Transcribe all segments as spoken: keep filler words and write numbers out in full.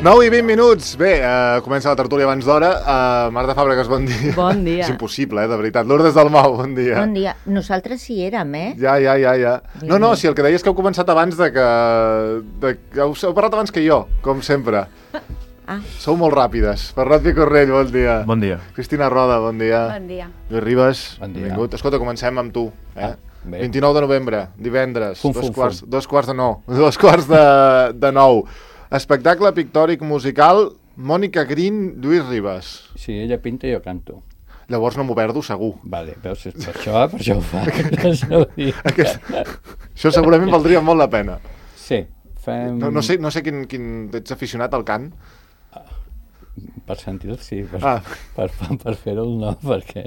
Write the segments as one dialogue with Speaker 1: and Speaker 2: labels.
Speaker 1: nou i vint minuts. Bé, uh, comença la tertúlia abans d'hora. Uh, Marta Fàbregas, bon dia.
Speaker 2: Bon dia.
Speaker 1: És impossible, eh, de veritat. Lourdes Dalmau, bon dia.
Speaker 2: Bon dia. Nosaltres sí érem, eh?
Speaker 1: Ja, ja, ja, ja. No, no, si el que deies és que heu començat abans de que... De... Heu, heu parlat abans que jo, com sempre.
Speaker 2: Ah.
Speaker 1: Sou molt ràpides. Bernat Picorrell, bon dia.
Speaker 3: Bon dia.
Speaker 1: Cristina Roda, bon dia.
Speaker 4: Bon dia.
Speaker 1: Lluís Ribas,
Speaker 3: bon dia.
Speaker 1: Benvingut. Escolta, comencem amb tu. Eh?
Speaker 3: Ah, bé.
Speaker 1: vint-i-nou de novembre, divendres,
Speaker 3: Fum,
Speaker 1: dos,
Speaker 3: fum,
Speaker 1: quarts,
Speaker 3: fum.
Speaker 1: dos quarts de nou. Dos quarts de, de nou. Espectacle pictòric musical, Mònica Green, Lluís Ribas.
Speaker 3: Si ella pinta, jo canto.
Speaker 1: Llavors no m'ho perdo, segur.
Speaker 3: Vale, veus, és per això, per això ho fa.
Speaker 1: Aquest... Això segurament valdria molt la pena.
Speaker 3: Sí, fem...
Speaker 1: No, no sé, no sé quin, quin... Ets aficionat al cant?
Speaker 3: Per sentir-lo, sí, per,
Speaker 1: Ah.
Speaker 3: per, per, per fer-ho no, perquè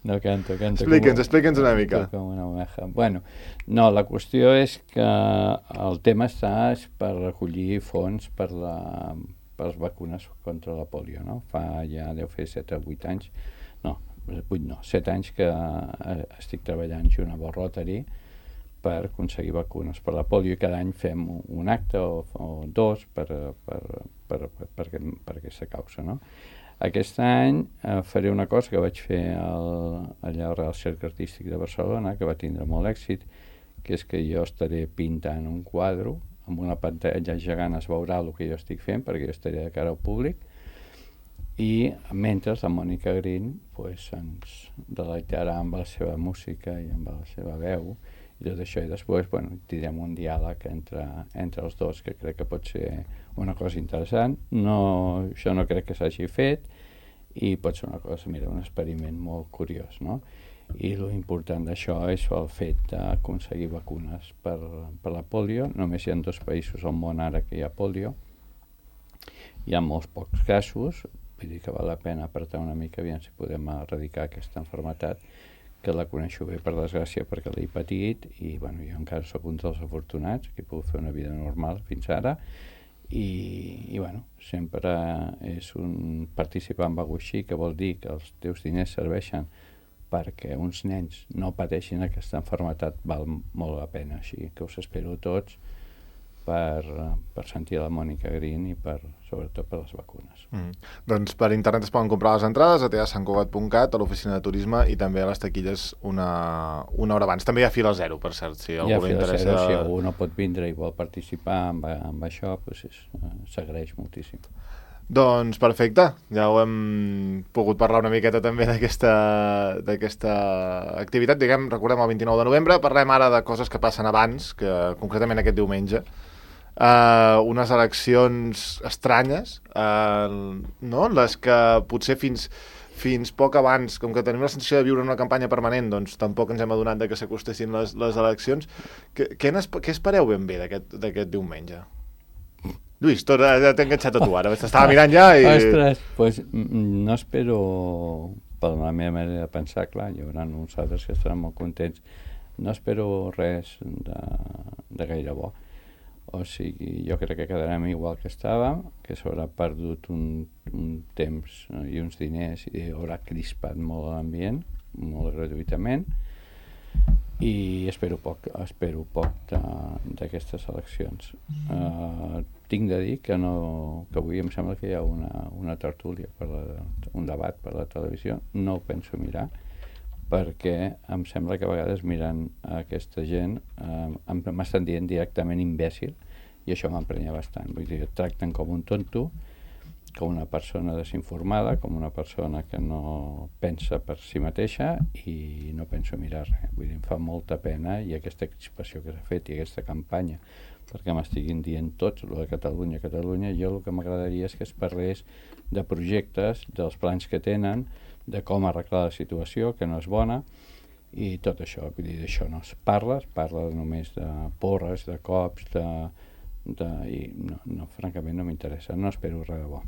Speaker 3: no canto, canto
Speaker 1: Explica'ns,
Speaker 3: com,
Speaker 1: explica'ns una mica.
Speaker 3: com una oveja. Bueno, no, la qüestió és que el tema està és per recollir fons per, la, per les vacunes contra la pòlio, no? Fa ja, deu fer set o vuit anys, no, vuit no, set anys que eh, estic treballant junt amb el Rotary per aconseguir vacunes per la pòlio i cada any fem un acte o, o dos per, per, per, per, per, per aquesta causa, no? Aquest any eh, faré una cosa que vaig fer al, allà al Real Cercle Artístic de Barcelona, que va tindre molt èxit, que és que jo estaré pintant un quadre, amb una pantalla gegant es veurà el que jo estic fent, perquè jo estaré de cara al públic, i mentre la Mònica Green pues, ens deleitarà amb la seva música i amb la seva veu, i tot això, i després bueno, tindrem un diàleg entre, entre els dos que crec que pot ser una cosa interessant. No, això no crec que s'hagi fet i pot ser una cosa, mira, un experiment molt curiós, no? I l'important d'això és el fet d'aconseguir vacunes per, per la pòlio. Només hi ha dos països al món ara que hi ha pòlio, hi ha molts pocs casos, vull dir que val la pena apretar una mica, aviam si podem erradicar aquesta malaltia, que la coneixo bé per desgràcia perquè l'he patit i bueno, jo encara sóc un dels afortunats que he pogut fer una vida normal fins ara i, i bueno, sempre és un participar en alguna cosa així, que vol dir que els teus diners serveixen perquè uns nens no pateixin aquesta malaltia, val molt la pena, així que us espero tots per, per sentir la Mònica Green i per, sobretot per les vacunes.
Speaker 1: Mm. Doncs per internet es poden comprar les entrades a teatrosantcugat punt cat, a l'oficina de turisme i també a les taquilles una, una hora abans. També hi ha fila zero, per cert, si algú li interessa.
Speaker 3: Zero, si algú no pot vindre i vol participar amb, amb això, doncs s'agraeix moltíssim.
Speaker 1: Doncs perfecte, ja ho hem pogut parlar una miqueta també d'aquesta d'aquesta activitat. Diguem, recordem el vint-i-nou de novembre, parlem ara de coses que passen abans, que concretament aquest diumenge. Uh, unes eleccions estranyes, uh, no? Les que potser fins, fins poc abans, com que tenim la sensació de viure en una campanya permanent, doncs tampoc ens hem adonat de que s'acostessin les, les eleccions. Què, què, què espereu ben bé d'aquest diumenge? Lluís, tot, ja t'he enganxat a tu ara, t'estava mirant ja i...
Speaker 3: Ostres, pues, no espero, per la meva manera de pensar, clar, hi haurà uns altres que estaran molt contents, no espero res de, de gaire bo. O sigui, jo crec que quedarem igual que estàvem, que s'haurà perdut un, un temps i uns diners i haurà crispat molt l'ambient, molt gratuïtament, i espero poc, espero poc d'aquestes eleccions. Uh, tinc de dir que, no, que avui em sembla que hi ha una, una tertúlia, per la, un debat per la televisió, no ho penso mirar, perquè em sembla que a vegades mirant aquesta gent eh, m'estan dient directament imbècil i això m'emprenya bastant. Vull dir, tracten com un tonto, com una persona desinformada, com una persona que no pensa per si mateixa i no penso mirar res. Vull dir, em fa molta pena i aquesta crispació que s'ha fet i aquesta campanya perquè m'estiguin dient tots el de Catalunya, Catalunya, jo el que m'agradaria és que es parlés de projectes, dels plans que tenen, de com arreglar la situació, que no és bona, i tot això, vull dir, d'això no es parla, es parla només de porres, de cops, de... de i no, no, francament no m'interessa, no espero res de bo.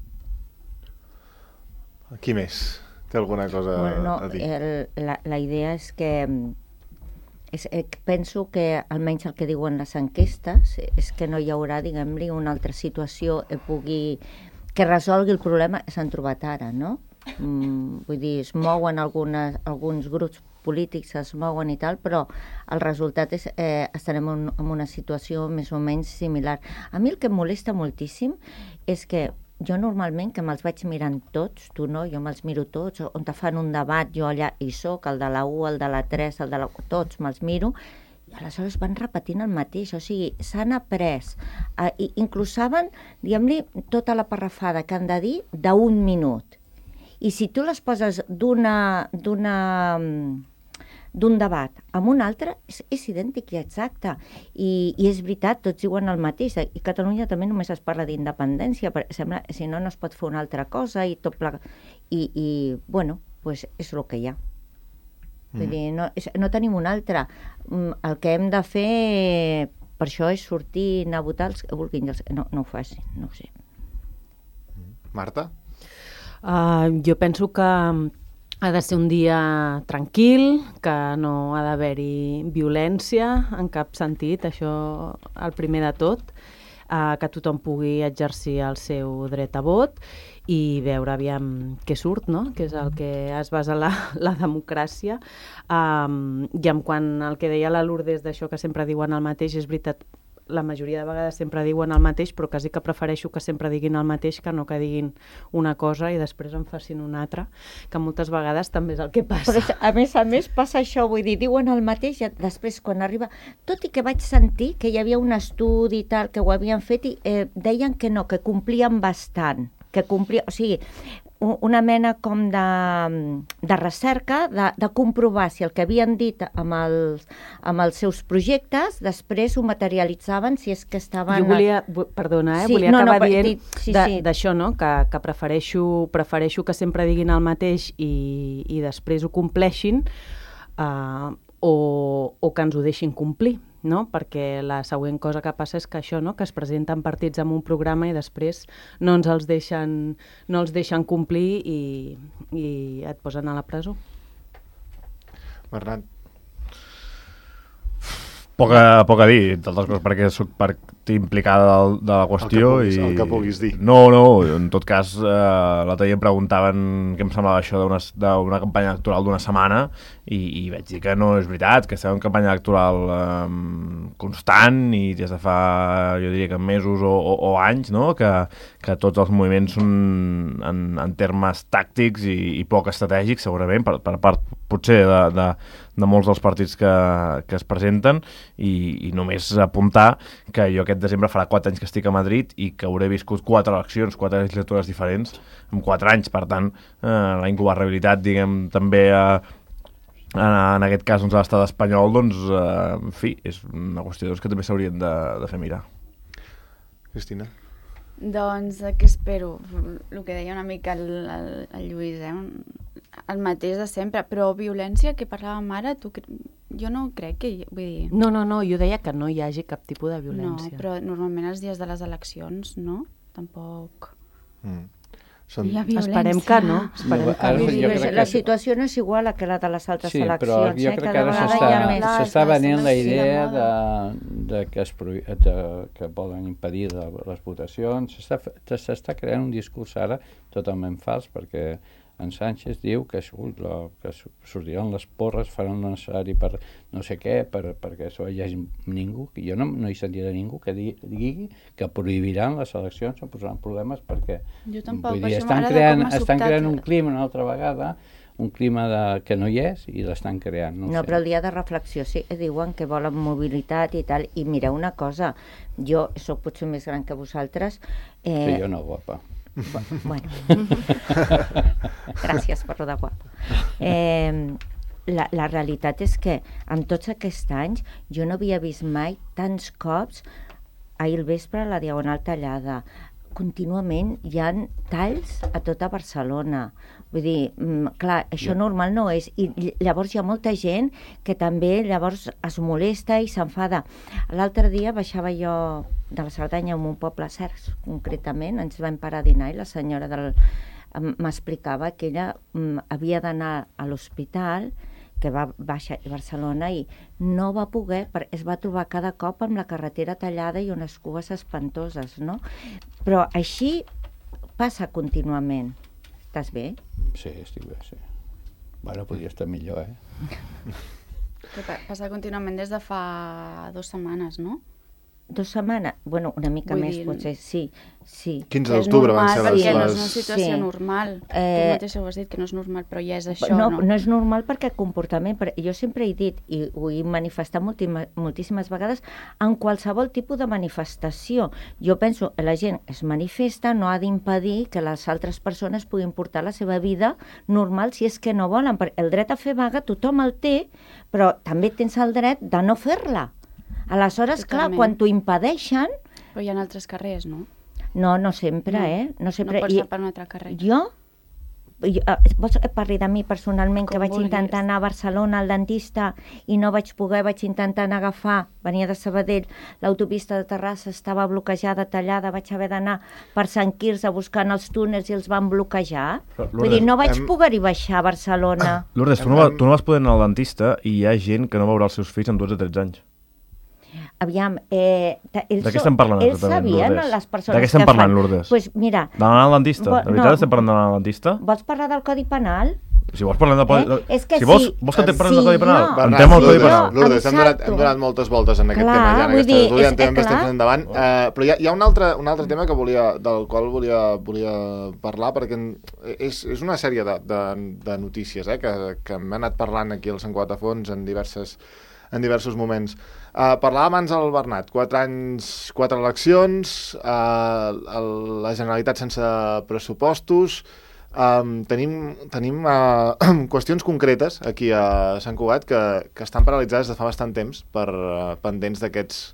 Speaker 1: Qui més? Té alguna cosa
Speaker 2: bueno, no,
Speaker 1: a dir?
Speaker 2: El, la, la idea és que és, eh, penso que almenys el que diuen les enquestes és que no hi haurà, diguem-li, una altra situació que pugui que resolgui el problema que s'han trobat ara, no? Mm, vull dir, es mouen algunes, alguns grups polítics, es mouen i tal, però el resultat és eh, estarem en, en una situació més o menys similar. A mi el que em molesta moltíssim és que jo normalment, que me'ls vaig mirant tots, tu no, jo me'ls miro tots, on te fan un debat, jo allà hi soc, el de la u, el de la tres, el de la... tots me'ls miro, i aleshores van repetint el mateix, o sigui, s'han après, eh, inclús saben, diguem-li, tota la parrafada que han de dir d'un minut. I si tu les poses d'una d'una d'un debat amb un altre, és, és idèntic i exacte. I, I és veritat, tots diuen el mateix. I Catalunya també només es parla d'independència, perquè sembla, si no, no es pot fer una altra cosa i tot plegat. I, i bueno, pues és el que hi ha. Mm. Vull dir, no, és, no tenim un altre. El que hem de fer per això és sortir, anar a votar els que vulguin. No, no ho facin, no ho sé.
Speaker 1: Marta?
Speaker 4: Uh, jo penso que ha de ser un dia tranquil, que no ha d'haver-hi violència en cap sentit, això el primer de tot, uh, que tothom pugui exercir el seu dret a vot i veure aviam què surt, no? Que és el que es basa la, la democràcia. Um, I en quant al que deia la Lourdes d'això que sempre diuen el mateix, és veritat, la majoria de vegades sempre diuen el mateix, però quasi que prefereixo que sempre diguin el mateix que no que diguin una cosa i després en facin una altra, que moltes vegades també és el que passa.
Speaker 2: Però a més a més passa això, vull dir, diuen el mateix i després quan arriba... Tot i que vaig sentir que hi havia un estudi i tal, que ho havien fet i eh, deien que no, que complien bastant, que complia, o sigui, una mena com de, de recerca, de, de comprovar si el que havien dit amb els, amb els seus projectes després ho materialitzaven si és que estaven...
Speaker 4: Jo volia, perdona, eh,
Speaker 2: sí,
Speaker 4: volia
Speaker 2: no,
Speaker 4: acabar
Speaker 2: no,
Speaker 4: dient
Speaker 2: dit, sí,
Speaker 4: d'això,
Speaker 2: sí.
Speaker 4: no? que, que prefereixo, prefereixo que sempre diguin el mateix i, i després ho compleixin uh, o, o que ens ho deixin complir. No? Perquè la següent cosa que passa és que això, no? Que es presenten partits amb un programa i després no ens els deixen, no els deixen complir i, i et posen a la presó.
Speaker 1: Bernat?
Speaker 5: Poc a, poc a dir, d'altres coses, perquè soc part implicada de, de la qüestió.
Speaker 1: El que puguis,
Speaker 5: i...
Speaker 1: el que puguis dir.
Speaker 5: No, no, en tot cas, eh, l'altre dia em preguntaven què em semblava això d'una campanya electoral d'una setmana i, i vaig dir que no és veritat, que estem en campanya electoral eh, constant i des de fa, jo diria que mesos o, o, o anys, no? que, que tots els moviments són en, en termes tàctics i, i poc estratègics, segurament, per, per part potser de, de, de molts dels partits que, que es presenten i, i només apuntar que jo aquest desembre farà quatre anys que estic a Madrid i que hauré viscut quatre eleccions, quatre legislatures diferents en quatre anys, per tant eh, la ingovernabilitat, diguem, també eh, en, en aquest cas doncs, a l'estat espanyol, doncs, eh, en fi, és una qüestió doncs, que també s'haurien de, de fer mirar.
Speaker 1: Cristina?
Speaker 6: Doncs què espero? El que deia una mica el, el, el Lluís, eh? El mateix de sempre, però violència que parlàvem ara, tu, jo no crec que... Vull dir...
Speaker 4: No, no, no, jo deia que no hi hagi cap tipus de violència.
Speaker 6: No, però normalment els dies de les eleccions, no? Tampoc...
Speaker 1: Mm. Són...
Speaker 6: Hi ha violència.
Speaker 4: Esperem que no. Esperem
Speaker 3: No,
Speaker 4: que
Speaker 3: ara
Speaker 4: no.
Speaker 3: jo crec
Speaker 2: La
Speaker 3: que-
Speaker 2: situació no és igual a que la de les altres
Speaker 3: Sí,
Speaker 2: eleccions.
Speaker 3: però jo
Speaker 2: eh?
Speaker 3: crec que
Speaker 2: Cada
Speaker 3: ara
Speaker 2: vegada
Speaker 3: s'està
Speaker 2: hi ha més.
Speaker 6: Clar,
Speaker 3: s'està
Speaker 6: clar,
Speaker 3: venint la
Speaker 6: sembla així de
Speaker 3: idea de,
Speaker 6: moda.
Speaker 3: de, que, es prohi... de que volen impedir de les votacions. S'està fe- s'està creant un discurs ara totalment fals, perquè en Sánchez diu que, surt, la, que su- sortiran les porres, faran el necessari per no sé què, per, perquè això hi hagi ningú. Jo no, no hi sentiré ningú que digui, digui que prohibiran les eleccions o posaran problemes perquè
Speaker 6: Jo tampoc,
Speaker 3: vull
Speaker 6: per
Speaker 3: dir,
Speaker 6: això
Speaker 3: estan,
Speaker 6: m'agrada
Speaker 3: creant,
Speaker 6: com ha
Speaker 3: estan
Speaker 6: sobtat.
Speaker 3: creant un clima una altra vegada, un clima de, que no hi és i l'estan creant. No,
Speaker 2: No,
Speaker 3: ho sé.
Speaker 2: però el dia de reflexió sí que diuen que volen mobilitat i tal. I mireu una cosa, jo sóc potser més gran que vosaltres.
Speaker 3: Sí,
Speaker 2: Eh,
Speaker 3: jo no, guapa.
Speaker 2: bu- Bueno, gràcies per lo de guapa. Eh, la, la realitat és que en tots aquests anys jo no havia vist mai tants cops ahir al vespre a la Diagonal tallada. Contínuament hi ha talls a tota Barcelona. Vull dir, mm, clar, això
Speaker 3: Ja.
Speaker 2: normal no és. I ll- llavors hi ha molta gent que també llavors es molesta i s'enfada. L'altre dia baixava jo de la Cerdanya a un poble, Cercs, concretament, ens vam parar a dinar i la senyora del em- m'explicava que ella mm, havia d'anar a l'hospital que va baixar a Barcelona i no va poder, perquè es va trobar cada cop amb la carretera tallada i unes cues espantoses, no? Però així passa contínuament. Estàs bé?
Speaker 3: Sí, estic bé, sí. Bueno, podria estar millor, eh?
Speaker 6: Que pa- passa contínuament des de fa dues setmanes, no?
Speaker 2: Dos setmanes? Bueno, una mica
Speaker 6: Vull
Speaker 2: més,
Speaker 6: dir-
Speaker 2: potser, sí. sí.
Speaker 1: quinze
Speaker 6: Que és
Speaker 1: d'octubre van
Speaker 6: normal,
Speaker 1: ser les...
Speaker 6: perquè no és
Speaker 1: les...
Speaker 6: una situació
Speaker 2: Sí.
Speaker 6: normal. Tu
Speaker 2: Eh,
Speaker 6: mateixa ho has dit, que no és normal, però ja és això,
Speaker 2: no,
Speaker 6: no?
Speaker 2: no és normal perquè el comportament, per- jo sempre he dit, i ho he manifestat moltima- moltíssimes vegades, en qualsevol tipus de manifestació. Jo penso que la gent es manifesta, no ha d'impedir que les altres persones puguin portar la seva vida normal si és que no volen. Perquè el dret a fer vaga tothom el té, però també tens el dret de no fer-la. Aleshores, clar,
Speaker 6: Totalment.
Speaker 2: quan t'ho impedeixen,
Speaker 6: Però hi ha altres carrers, no?
Speaker 2: no, no sempre,
Speaker 6: No.
Speaker 2: eh? No sempre.
Speaker 6: No pots
Speaker 2: I-
Speaker 6: anar per un altre carrer.
Speaker 2: Jo? jo eh, vols que parli de mi personalment,
Speaker 6: Com
Speaker 2: que vaig
Speaker 6: vulguis.
Speaker 2: intentar anar a Barcelona al dentista i no vaig poder, vaig intentar anar a agafar, venia de Sabadell, l'autopista de Terrassa estava bloquejada, tallada, vaig haver d'anar per Sant Quirze buscant els túnels i els van bloquejar.
Speaker 5: Però,
Speaker 2: Vull dir, no vaig
Speaker 1: hem-
Speaker 2: poder-hi baixar a Barcelona.
Speaker 5: Lourdes, tu no, va, tu no vas poder anar al dentista i hi ha gent que no veurà els seus fills amb dotze o tretze anys.
Speaker 2: Aviam, eh, ta- ells,
Speaker 5: De què estem parlant,
Speaker 2: ells
Speaker 5: exactament,
Speaker 2: sabien,
Speaker 5: Lourdes?
Speaker 2: les persones
Speaker 5: De què estem
Speaker 2: que
Speaker 5: parlant,
Speaker 2: fan...
Speaker 5: Lourdes?
Speaker 2: Pues mira,
Speaker 5: D'anar al dentista?
Speaker 2: Vo-
Speaker 5: De veritat
Speaker 2: no.
Speaker 5: estem parlant d'anar al dentista?
Speaker 2: vols parlar del Codi Penal?
Speaker 5: Si vols parlem del...
Speaker 2: Eh? És que
Speaker 5: si vols,
Speaker 2: sí.
Speaker 5: vols que et parlem
Speaker 2: Sí,
Speaker 5: del Codi Penal?
Speaker 2: jo.
Speaker 5: Entrem al Codi
Speaker 1: Lourdes,
Speaker 5: Penal.
Speaker 1: Lourdes, hem donat,
Speaker 2: Exacto.
Speaker 1: hem donat moltes voltes en aquest
Speaker 2: Clar,
Speaker 1: tema ja, en
Speaker 2: vull
Speaker 1: aquesta
Speaker 2: dir,
Speaker 1: tertúlia,
Speaker 2: és-
Speaker 1: en tenim
Speaker 2: eh,
Speaker 1: bastant
Speaker 2: clar.
Speaker 1: temps endavant, uh, però hi ha, hi ha un, altre, un altre tema que volia, del qual volia, volia parlar, perquè és, és una sèrie de, de, de notícies eh, que, que hem anat parlant aquí al Sant Cugat a Fons en diverses en diversos moments. Uh, parlava abans el Bernat, quatre anys, quatre eleccions, uh, el, la Generalitat sense pressupostos, um, tenim, tenim uh, qüestions concretes aquí a Sant Cugat que, que estan paralitzades de fa bastant temps per uh, pendents d'aquests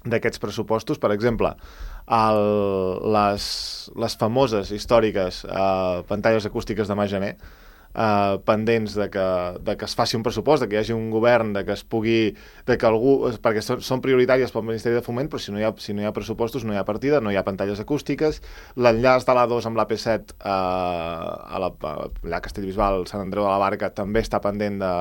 Speaker 1: d'aquests pressupostos. Per exemple, el, les, les famoses, històriques uh, pantalles acústiques de Majaner, Uh, pendents de que, de que es faci un pressupost, de que hi hagi un govern, de que es pugui, de que algú, perquè són, són prioritàries pel Ministeri de Foment, però si no, hi ha, si no hi ha pressupostos no hi ha partida, no hi ha pantalles acústiques, l'enllaç de l'A dos amb l'A P set uh, a la, allà a Castellbisbal, Sant Andreu de la Barca, també està pendent de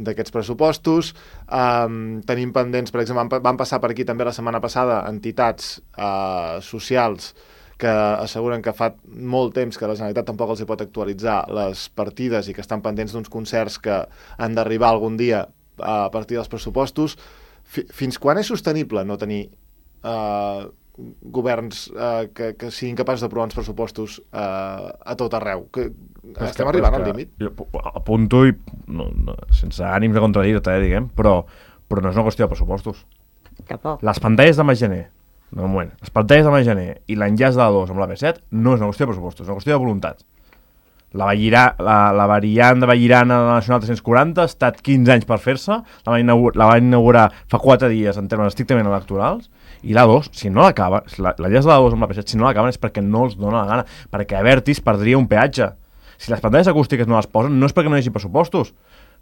Speaker 1: d'aquests pressupostos. Um, tenim pendents, per exemple, van, van passar per aquí també la setmana passada entitats uh, socials que asseguren que fa molt temps que la Generalitat tampoc els hi pot actualitzar les partides i que estan pendents d'uns concerts que han d'arribar algun dia a partir dels pressupostos. F fins quan és sostenible no tenir eh, governs eh, que, que siguin capaços d'aprovar uns pressupostos eh, a tot arreu? Que,
Speaker 5: És
Speaker 1: estem
Speaker 5: que-
Speaker 1: arribant
Speaker 5: és
Speaker 1: al
Speaker 5: que
Speaker 1: límit?
Speaker 5: Jo apunto i no, no, sense ànims de contradir-te, eh, diguem, però, però no és una qüestió de pressupostos.
Speaker 2: Tampoc.
Speaker 5: Les pantalles de Majaner, no, un moment, les pantalles de Majaner i l'enllaç de l'A dos amb l'A P set no és una qüestió de pressupostos, és una qüestió de voluntat. La, Vallirà, la, la variant de Vallirana de la Nacional tres-cents quaranta ha estat quinze anys per fer-se, la van inaugurar, la van inaugurar fa quatre dies en termes estrictament electorals, i l'A dos, si no l'acaba, l'enllaç de l'A dos amb l'A P set, si no l'acaben és perquè no els dona la gana, perquè Abertis perdria un peatge. Si les pantalles acústiques no les posen, no és perquè no hi hagi pressupostos,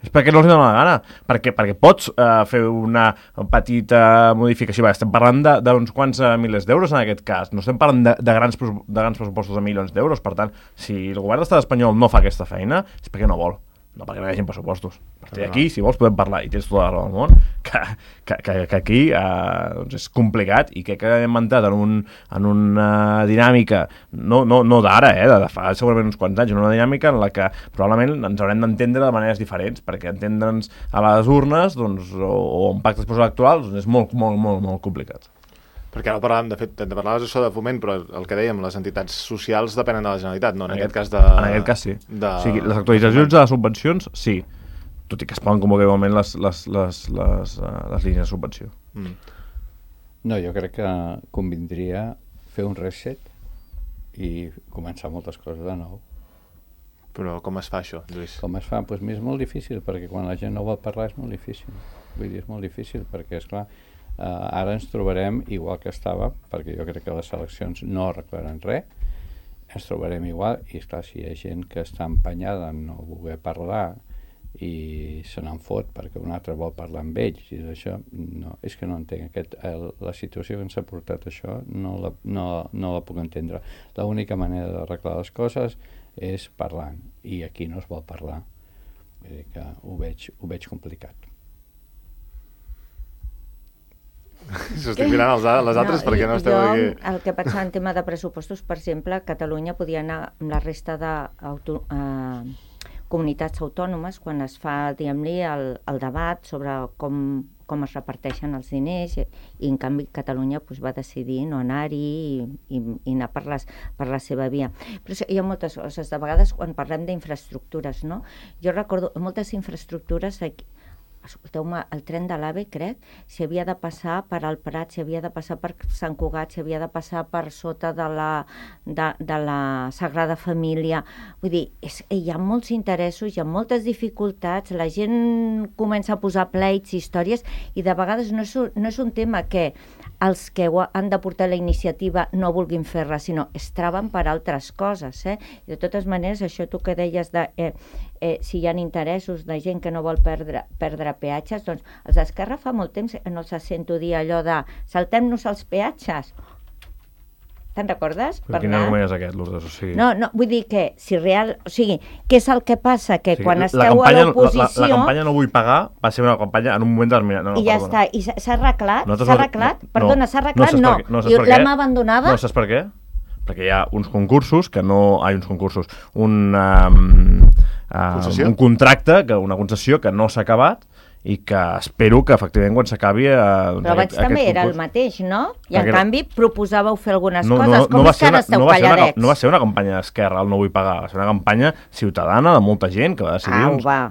Speaker 5: és perquè no els dona la gana, perquè, perquè pots uh, fer una petita modificació. Va, estem parlant d'uns quants uh, milers d'euros en aquest cas, no estem parlant de, de, grans, de grans pressupostos de milions d'euros. Per tant, si el govern d'estat espanyol no fa aquesta feina, és perquè no vol, no perquè no hi hagi pressupostos. A partir d'aquí, si vols, podem parlar, i tens tota la raó del món, que, que, que, que aquí uh, doncs és complicat, i crec que hem entrat en, un, en una dinàmica, no, no, no d'ara, eh, de fa segurament uns quants anys, en una dinàmica en la que probablement ens haurem d'entendre de maneres diferents, perquè entendre'ns a les urnes doncs, o, o en pactes electorals doncs és molt, molt, molt, molt complicat.
Speaker 1: Perquè ara parlàvem, de fet, de parlaves això de Foment, però el que dèiem, les entitats socials depenen de la Generalitat, no? En, en aquest cas de...
Speaker 5: En aquest cas sí.
Speaker 1: De,
Speaker 5: o sigui, les actualitzacions de les subvencions, sí. Tot i que es poden convocar igualment les, les, les, les, uh, les línies de subvenció.
Speaker 1: Mm.
Speaker 3: No, jo crec que convindria fer un reset i començar moltes coses de nou.
Speaker 1: Però com es fa això, Lluís?
Speaker 3: Com es fa? Doncs pues és molt difícil, perquè quan la gent no vol parlar és molt difícil. Vull dir, és molt difícil, perquè, esclar, Uh, ara ens trobarem igual que estava, perquè jo crec que les eleccions no arreglaran res, ens trobarem igual, i esclar, si hi ha gent que està empenyada en no voler parlar i se n'en fot perquè un altre vol parlar amb ells i d'això, no, és que no entenc aquest, el, la situació que ens ha portat això no la, no, no la puc entendre. L'única manera d'arreglar les coses és parlant, i aquí no es vol parlar, vull dir que ho veig, ho veig complicat.
Speaker 1: S'estic mirant els, les altres no, perquè no esteu
Speaker 2: jo,
Speaker 1: aquí.
Speaker 2: El que pensava en tema de pressupostos, per exemple, Catalunya podia anar amb la resta de auto, eh, comunitats autònomes quan es fa, diguem-li, el, el debat sobre com com es reparteixen els diners, i, i en canvi Catalunya pues, va decidir no anar-hi i, i, i anar per, les, per la seva via. Però hi ha moltes coses, de vegades quan parlem d'infraestructures, no? Jo recordo moltes infraestructures aquí, escolteu-me, el tren de l'AVE, crec, s'hi havia de passar per al Prat, s'hi havia de passar per Sant Cugat, s'hi havia de passar per sota de la, de, de la Sagrada Família. Vull dir, és, hi ha molts interessos, hi ha moltes dificultats, la gent comença a posar pleits, històries, i de vegades no és, no és un tema que els que han de portar la iniciativa no vulguin fer-la, sinó es traven per altres coses. Eh? I de totes maneres, això tu que deies de eh, eh, si hi ha interessos de gent que no vol perdre, perdre peatges, doncs els d'Esquerra fa molt temps no els sento dir allò de saltem-nos els peatges. Te'n recordes?
Speaker 5: Però quin argument és aquest, Lourdes? O sigui...
Speaker 2: No, no, vull dir que, si real... O sigui, què és el que passa? Que
Speaker 5: o sigui,
Speaker 2: quan
Speaker 5: la
Speaker 2: esteu
Speaker 5: campanya,
Speaker 2: a l'oposició...
Speaker 5: La, la, la campanya No vull pagar va ser una campanya en un moment determinat. No, no,
Speaker 2: I ja
Speaker 5: perdona.
Speaker 2: està. I s'ha s'ha arreglat?
Speaker 5: Nosaltres
Speaker 2: S'ha
Speaker 5: no-
Speaker 2: arreglat?
Speaker 5: no,
Speaker 2: Perdona, s'ha arreglat?
Speaker 5: no.
Speaker 2: No.
Speaker 5: saps per què- no saps
Speaker 2: I
Speaker 5: per què?
Speaker 2: l'hem abandonada?
Speaker 5: No, saps per què? Perquè hi ha uns concursos que no... Hi ha uns concursos. Un, um, uh, un contracte, que una concessió que no s'ha acabat i que espero que efectivament quan s'acabi eh, doncs
Speaker 2: Però abans
Speaker 5: aquest,
Speaker 2: també
Speaker 5: aquest
Speaker 2: era el
Speaker 5: concurs...
Speaker 2: mateix, no? I
Speaker 5: Perquè
Speaker 2: en
Speaker 5: era-
Speaker 2: canvi proposàveu fer algunes
Speaker 5: no,
Speaker 2: coses.
Speaker 5: no,
Speaker 2: Com
Speaker 5: no va
Speaker 2: és que
Speaker 5: ser
Speaker 2: ara
Speaker 5: una,
Speaker 2: esteu
Speaker 5: no va ser una,
Speaker 2: calladets?
Speaker 5: no va ser una campanya d'Esquerra, el No vull pagar, va ser una campanya ciutadana de molta gent que va decidir...
Speaker 2: Au,
Speaker 5: uns...
Speaker 2: va.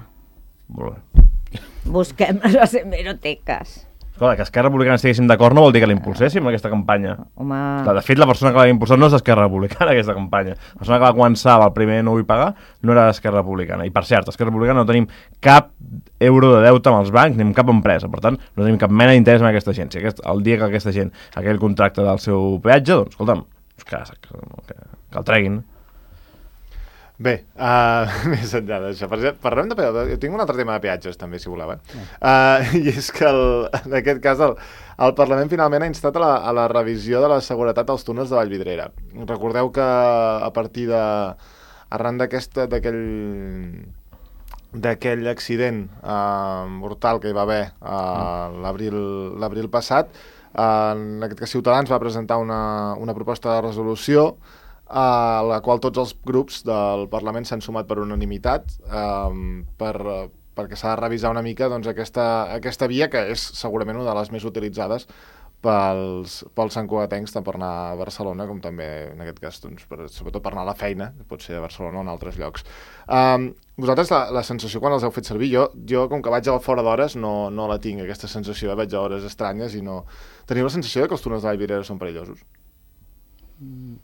Speaker 5: Molt bé.
Speaker 2: Busquem les hemeroteques.
Speaker 5: Escolta, que Esquerra Republicana estiguéssim d'acord no vol dir que l'impulséssim, aquesta campanya.
Speaker 2: Home...
Speaker 5: Clar, de fet, la persona que va impulsar no és d'Esquerra Republicana, aquesta campanya. La persona que va començar el primer No vull pagar no era d'Esquerra Republicana. I, per cert, a Esquerra Republicana no tenim cap euro de deute amb els bancs ni amb cap empresa. Per tant, no tenim cap mena d'interès en aquesta gent. Si aquest, el dia que aquesta gent, aquell contracte del seu peatge, doncs, escolta'm, que, que, que, que el treguin.
Speaker 1: Bé, uh, més enllà d'això, per exemple, parlem de peatges. Jo tinc un altre tema de peatges, també, si voleu. Eh? Uh, I és que, el, en aquest cas, el, el Parlament finalment ha instat a la, a la revisió de la seguretat dels túnels de Vallvidrera. Recordeu que a partir de... arran d'aquesta, d'aquell d'aquell accident uh, mortal que hi va haver uh, l'abril l'abril passat, uh, en aquest cas Ciutadans va presentar una, una proposta de resolució a la qual tots els grups del Parlament s'han sumat per unanimitat um, per, perquè s'ha de revisar una mica doncs, aquesta, aquesta via que és segurament una de les més utilitzades pels, pels santcugatencs, tant per anar a Barcelona com també, en aquest cas, doncs, per, sobretot per anar a la feina, que pot ser a Barcelona o en altres llocs. Um, vosaltres, la, la sensació quan els heu fet servir, jo, jo com que vaig a fora d'hores, no, no la tinc, aquesta sensació, vaig a hores estranyes i no... Teniu la sensació de que els túnels de Vallvidrera són perillosos?
Speaker 3: Mm.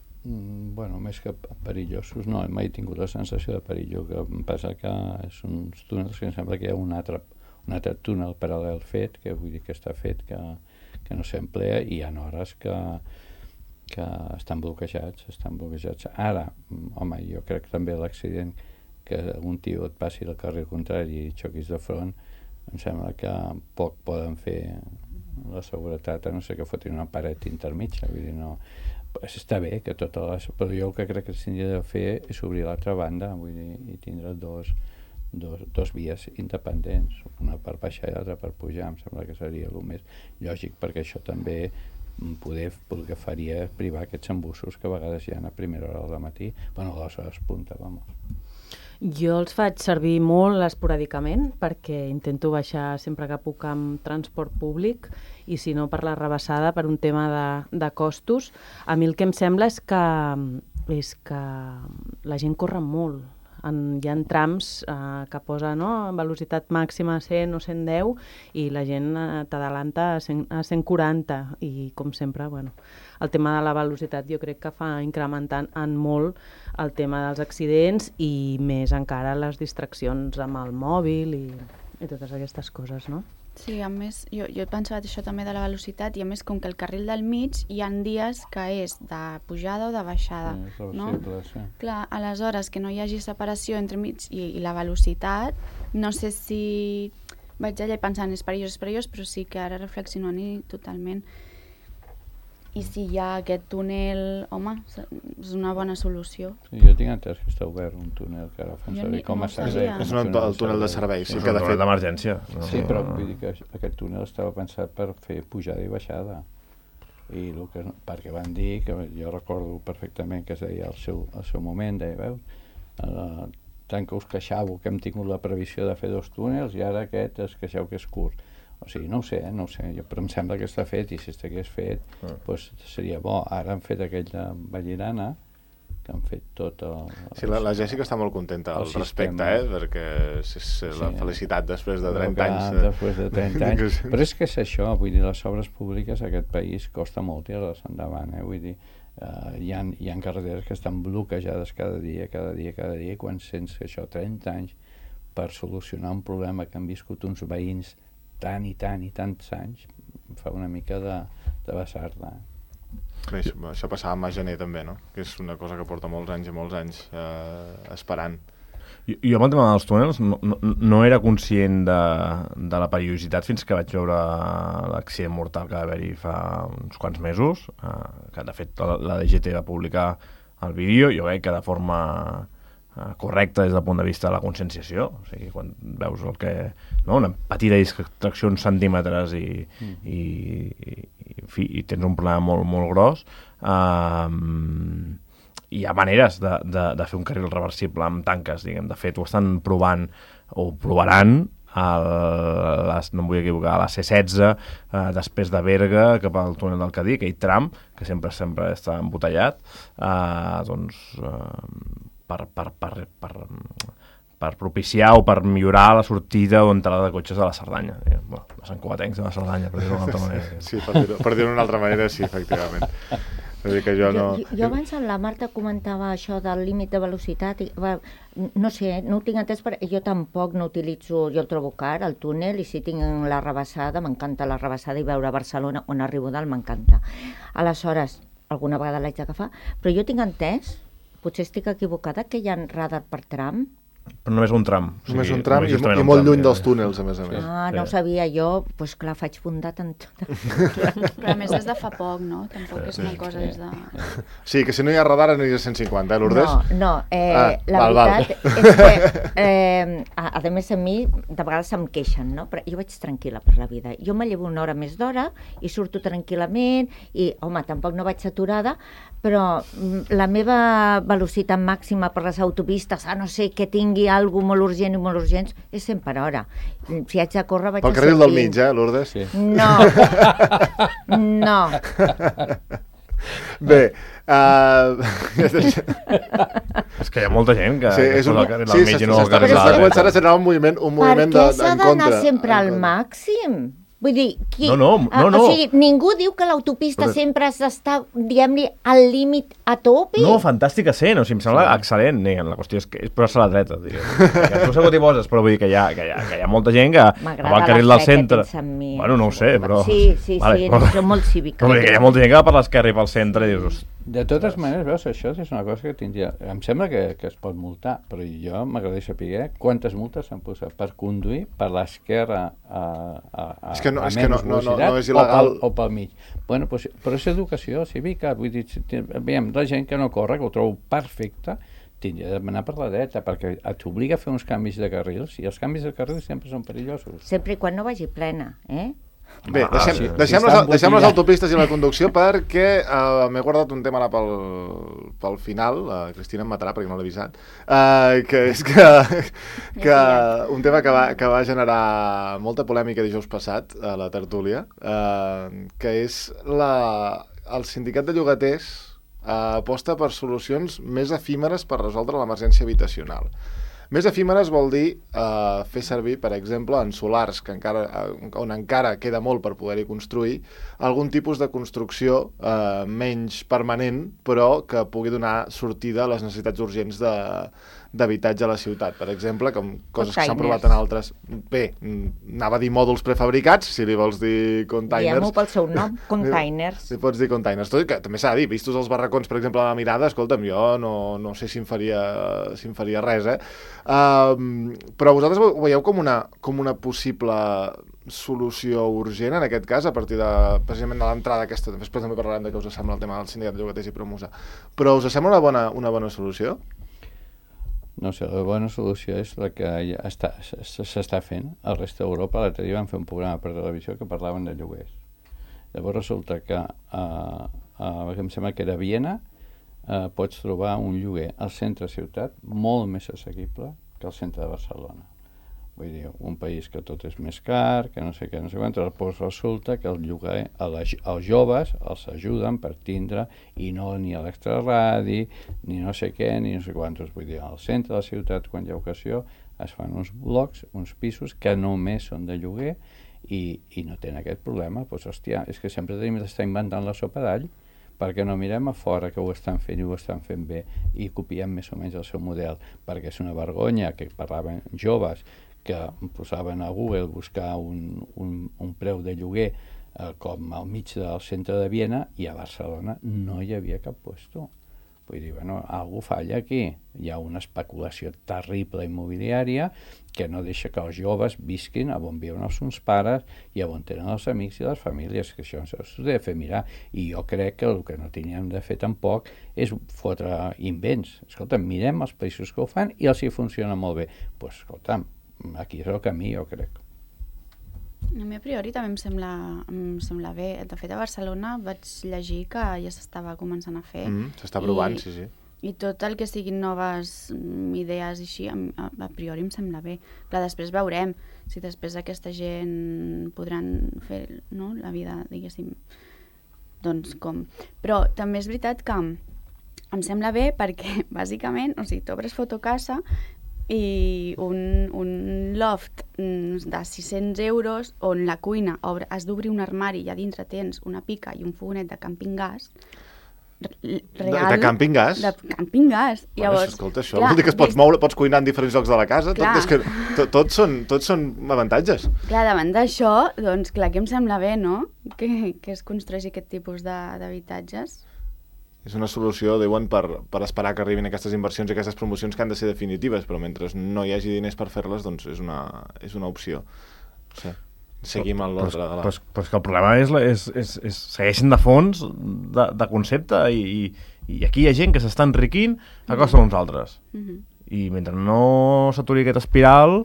Speaker 3: Bueno, més que perillosos, no, mai he tingut la sensació de perillo, que em passa que són uns túnels que em sembla que hi ha un altre, un altre túnel paral·lel fet, que vull dir que està fet, que, que no s'emplea, i hi ha hores que, que estan bloquejats, estan bloquejats. Ara, home, jo crec també l'accident que un tio et passi al carrer contrari i xoquis de front, em sembla que poc poden fer la seguretat, a no ser que fotin una paret intermitja, vull dir, no... Està bé que totes les... Però jo el que crec que s'hauria de fer és obrir l'altra banda, vull dir, i tindre dos, dos, dos vies independents, una per baixar i l'altra per pujar. Em sembla que seria el més lògic, perquè això també poder, el que faria privar aquests embussos que a vegades hi ha a primera hora del matí, bueno, a les hores punta, vamos.
Speaker 4: Jo els faig servir molt esporàdicament perquè intento baixar sempre que puc amb transport públic i si no per la rebassada per un tema de, de costos. A mi el que em sembla és que, és que la gent corre molt. En, hi ha trams eh, que posa no, velocitat màxima a cent o cent deu i la gent eh, t'adalanta a, cent, a cent quaranta i com sempre, bueno, el tema de la velocitat jo crec que fa incrementant en molt el tema dels accidents i més encara les distraccions amb el mòbil i, i totes aquestes coses, no?
Speaker 6: Sí, a més, jo, jo he pensat això també de la velocitat i a més com que el carril del mig hi ha dies que és de pujada o de baixada,
Speaker 3: Sí,
Speaker 6: no?
Speaker 3: sí.
Speaker 6: Clar, aleshores que no hi hagi separació entre mig i, i la velocitat, no sé si vaig allà pensant és perillós, és perillós, però sí que ara reflexionant-hi totalment. I si hi ha aquest túnel, home, és una bona solució.
Speaker 3: Sí, jo tinc entès que està obert un túnel que ara fan
Speaker 6: Jo
Speaker 3: servir
Speaker 6: ni-
Speaker 3: com
Speaker 6: no
Speaker 3: a
Speaker 6: ho
Speaker 3: servei.
Speaker 6: sabia.
Speaker 1: És un, el túnel de servei, sí,
Speaker 5: És
Speaker 1: que
Speaker 5: un
Speaker 1: de
Speaker 5: túnel
Speaker 1: fet...
Speaker 5: d'emergència. No?
Speaker 3: Sí, però vull dir que aquest túnel estava pensat per fer pujada i baixada. I el que, perquè van dir, que jo recordo perfectament que es deia al seu, al seu moment, deia, veus, eh, tant que us queixàveu que hem tingut la previsió de fer dos túnels i ara aquest es queixeu que és curt. O sigui, no ho sé, no ho sé, jo, però em sembla que està fet, i si estigués fet,
Speaker 5: Ah.
Speaker 3: doncs seria bo. Ara han fet aquell de Vallirana, que han fet tot el...
Speaker 1: Sí, la, la Jèssica està molt contenta al
Speaker 3: el
Speaker 1: respecte,
Speaker 3: sistema.
Speaker 1: eh? Perquè és, és la
Speaker 3: Sí.
Speaker 1: felicitat després de
Speaker 3: Però
Speaker 1: trenta
Speaker 3: que
Speaker 1: anys.
Speaker 3: Després de trenta anys. Però és que és això, vull dir, les obres públiques a aquest país costa molt tirar-les endavant, eh? Vull dir, uh, hi, ha, hi ha carreteres que estan bloquejades cada dia, cada dia, cada dia, quan sents que això, trenta anys, per solucionar un problema que han viscut uns veïns tant i tant i tants anys, em fa una mica de, de vessar-la.
Speaker 1: Bé, això, això passava amb Gener també, no? Que és una cosa que porta molts anys i molts anys eh, esperant.
Speaker 5: Jo, jo amb el tema dels túnels no, no, no era conscient de, de la perillositat fins que vaig veure l'accident mortal que va haver-hi fa uns quants mesos, eh, que de fet la, la D G T va publicar el vídeo, jo crec que de forma eh, correcta des del punt de vista de la conscienciació, o sigui, quan veus el que... No? Una petita distracció uns centímetres i, mm. i, i, i, en fi, i tens un problema molt, molt gros. Um, hi ha maneres de, de, de fer un carril reversible amb tanques, diguem. De fet, ho estan provant, o provaran, a les, no em vull equivocar, a la C setze, eh, després de Berga, cap al túnel del Cadí, aquell tram, que sempre sempre està embotellat, eh, doncs, eh, per, per, per, per, per propiciar o per millorar la sortida o entrada de cotxes a la Cerdanya. Bueno, de Sant Cugatencs de la Cerdanya, per dir-ho d'una altra manera.
Speaker 1: Sí, per dir-ho per dir-ho d'una altra manera, sí, efectivament. És a dir, que jo no...
Speaker 2: Jo, jo, jo abans la Marta comentava això del límit de velocitat, i, va, no sé, no ho tinc entès, perquè jo tampoc no utilitzo, jo el trobo car, el túnel, i si tinc la rebassada, m'encanta la rebassada, i veure Barcelona, on arribo dalt, m'encanta. Aleshores, alguna vegada l'haig d'agafar, però jo tinc entès, potser estic equivocada, que hi ha radar per tram.
Speaker 5: Però només un tram. O sigui,
Speaker 1: Només un tram i,
Speaker 5: justament
Speaker 1: i
Speaker 5: un
Speaker 1: molt
Speaker 5: tram,
Speaker 1: lluny
Speaker 5: ja.
Speaker 1: dels túnels, a més a més.
Speaker 2: Ah, no ho sabia jo, doncs clar, faig bondat en tot.
Speaker 6: Però a més des de fa poc, no? Tampoc és una cosa des de...
Speaker 1: Sí, que si no hi ha radar aniria a cent cinquanta, eh, Lourdes?
Speaker 2: No, no, eh,
Speaker 1: Ah,
Speaker 2: la
Speaker 1: val, val.
Speaker 2: veritat és que, eh, a, a més a mi, de vegades se'm queixen, no? Però jo vaig tranquil·la per la vida. Jo me llevo una hora més d'hora i surto tranquil·lament i, home, tampoc no vaig saturada, però mm, la meva velocitat màxima per les autopistes, a no ser que tingui alguna molt urgent i molt urgents, és cent per hora. Si haig de córrer, vaig
Speaker 1: Pel
Speaker 2: a
Speaker 1: carril
Speaker 2: cent
Speaker 1: del
Speaker 2: vint.
Speaker 1: mig, eh, Lourdes?
Speaker 3: Sí.
Speaker 2: No, no.
Speaker 1: Bé, uh...
Speaker 5: És que hi ha molta gent que,
Speaker 1: sí,
Speaker 5: que
Speaker 1: és un...
Speaker 5: posa el carril
Speaker 1: sí,
Speaker 5: al mig i no el
Speaker 1: s'està
Speaker 5: carril a
Speaker 1: s'està
Speaker 5: la
Speaker 1: començant
Speaker 5: dreta.
Speaker 1: a generar un moviment, un
Speaker 2: Per
Speaker 1: moviment
Speaker 2: què
Speaker 1: de,
Speaker 2: s'ha
Speaker 1: en
Speaker 2: d'anar
Speaker 1: contra.
Speaker 2: sempre
Speaker 1: en
Speaker 2: al
Speaker 1: contra.
Speaker 2: màxim? Vull dir, qui...
Speaker 5: No, no, no, no.
Speaker 2: O sigui, ningú diu que l'autopista
Speaker 5: Però-
Speaker 2: sempre has d'estar, diguem-li, al límit a tope.
Speaker 5: No, fantàstic sent, o sigui, em sembla sí. excel·lent. Diguem. La qüestió és que és posar-se a la dreta. Diguem. Que tu segur t'hi poses, però vull dir que hi ha, que hi ha, que hi ha molta gent que
Speaker 2: M'agrada
Speaker 5: va al
Speaker 2: la
Speaker 5: carril
Speaker 2: fe
Speaker 5: del
Speaker 2: que
Speaker 5: centre.
Speaker 2: tens en mi.
Speaker 5: Bueno, no ho sé, però...
Speaker 2: Sí, sí, sí,
Speaker 5: però-
Speaker 2: soc molt cívica.
Speaker 5: Però vull dir que hi ha molta gent que va per l'esquerra i pel centre i dius...
Speaker 3: De totes maneres, veus, això és una cosa que tindria... Em sembla que, que es pot multar, però jo m'agradaria saber quantes multes s'han posat per conduir per l'esquerra a, a, a,
Speaker 1: És que no-
Speaker 3: a
Speaker 1: és que no-
Speaker 3: menys
Speaker 1: no- no-
Speaker 3: velocitat
Speaker 1: no és il·legal.
Speaker 3: o, pel, o pel mig. Bueno, pues, però és educació cívica, vull dir, si ti- veiem, la gent que no corre, que ho trobo perfecte, tindria d'anar per la dreta, perquè t'obliga a fer uns canvis de carrils, i els canvis de carrils sempre són perillosos.
Speaker 2: Sempre i quan no vagi plena, eh?
Speaker 1: Bé,
Speaker 3: Ah,
Speaker 1: deixem,
Speaker 3: sí,
Speaker 1: deixem,
Speaker 3: sí,
Speaker 1: les,
Speaker 3: està
Speaker 1: deixem les
Speaker 3: embotellat.
Speaker 1: autopistes i la conducció perquè uh, m'he guardat un tema ara pel, pel final, la uh, Cristina em matarà perquè no l'he avisat, uh, que és que, que un tema que va, que va generar molta polèmica dijous passat a la tertúlia, uh, que és la, el sindicat de llogaters uh, aposta per solucions més efímeres per resoldre l'emergència habitacional. Més efímeres vol dir eh, fer servir, per exemple, en solars, que encara, eh, on encara queda molt per poder-hi construir, algun tipus de construcció eh, menys permanent, però que pugui donar sortida a les necessitats urgents de d'habitatge a la ciutat, per exemple, com coses que s'han provat en altres... Bé, anava a dir mòduls prefabricats, si li vols dir containers.
Speaker 2: Diguem-ho pel seu nom, containers.
Speaker 1: Li pots dir containers. Tot i que també s'ha de dir, vistos els barracons, per exemple, a la mirada, escolta'm, jo no, no sé si em faria, si em faria res, eh? Um, però vosaltres ho veieu com una, com una possible solució urgent, en aquest cas, a partir de, precisament de l'entrada aquesta, després també parlarem de què us sembla el tema del sindicat de llogaters i Promusa, però us sembla una bona, una bona solució?
Speaker 3: No sé, la bona solució és la que ja està, s'està fent. Al rest d'Europa, l'altre dia van fer un programa per televisió que parlaven de lloguers. Llavors resulta que, uh, uh, em sembla que era a Viena, uh, pots trobar un lloguer al centre ciutat molt més assequible que al centre de Barcelona. Vull dir, un país que tot és més car, que no sé què, no sé quant, doncs resulta que el lloguer, els joves els ajuden per tindre, i no ni a l'extraradi, ni no sé què, ni no sé quantos. Vull dir, al centre de la ciutat, quan hi ha ocasió, es fan uns blocs, uns pisos que només són de lloguer i, i no tenen aquest problema. Doncs, hòstia, és que sempre tenim d'estar inventant la sopa d'all, perquè no mirem a fora que ho estan fent i ho estan fent bé i copiem més o menys el seu model, perquè és una vergonya que parlaven joves que posaven a Google buscar un, un, un preu de lloguer eh, com al mig del centre de Viena, i a Barcelona no hi havia cap puesto. Vull dir, bueno, algú falla aquí. Hi ha una especulació terrible immobiliària que no deixa que els joves visquin a on viuen els seus pares i a on tenen els amics i les famílies, que això s'ho ha de fer mirar. I jo crec que el que no teníem de fer tampoc és fotre invents. Escolta'm, mirem els països que ho fan i els hi funciona molt bé. Doncs, pues, escolta'm, aquí és el camí, jo crec.
Speaker 6: A mi a priori també em sembla, em sembla bé. De fet, a Barcelona vaig llegir que ja s'estava començant a fer.
Speaker 1: Mm, s'està provant,
Speaker 6: I,
Speaker 1: sí, sí.
Speaker 6: I tot el que siguin noves idees i així, a, a priori em sembla bé. Clar, després veurem si després aquesta gent podran fer, no?, la vida, diguéssim, doncs com. Però també és veritat que em sembla bé perquè, bàsicament, o sigui, t'obres Fotocasa i un, un loft de sis-cents euros on la cuina obre, has d'obrir un armari i a dintre tens una pica i un fogonet de camping gas real,
Speaker 1: de, de camping gas?
Speaker 6: De camping gas.
Speaker 1: Bueno,
Speaker 6: Llavors,
Speaker 1: escolta, això clar, vol dir que es pots moure, pots cuinar en diferents llocs de la casa, tot, és que tot, tots, són, tots són avantatges.
Speaker 6: Clar, davant d'això, doncs clar que em sembla bé, no?, que, que es construeixi aquest tipus d'habitatges.
Speaker 1: És una solució, diuen, per, per esperar que arribin aquestes inversions i aquestes promocions que han de ser definitives, però mentre no hi hagi diners per fer-les, doncs és una, és una opció. Sí. Seguim a l'ordre de la...
Speaker 5: Però, però, però és que el problema és, és, és, és segueixen de fons de, de concepte i, i, i aquí hi ha gent que s'està enriquint a costa d'uns altres. Mm-hmm. I mentre no s'aturi aquesta espiral,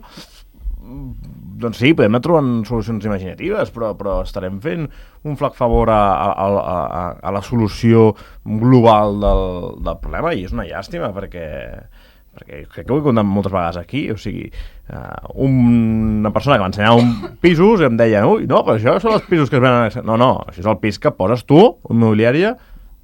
Speaker 5: doncs sí, podem anar trobant solucions imaginatives, però, però estarem fent un flac favor a, a, a, a la solució global del, del problema, i és una llàstima perquè, perquè crec que ho he contat moltes vegades aquí, o sigui, uh, una persona que m'ensenyava un pisos i em deia, ui, no, però això són els pisos que es venen... No, no, això és el pis que poses tu, immobiliària,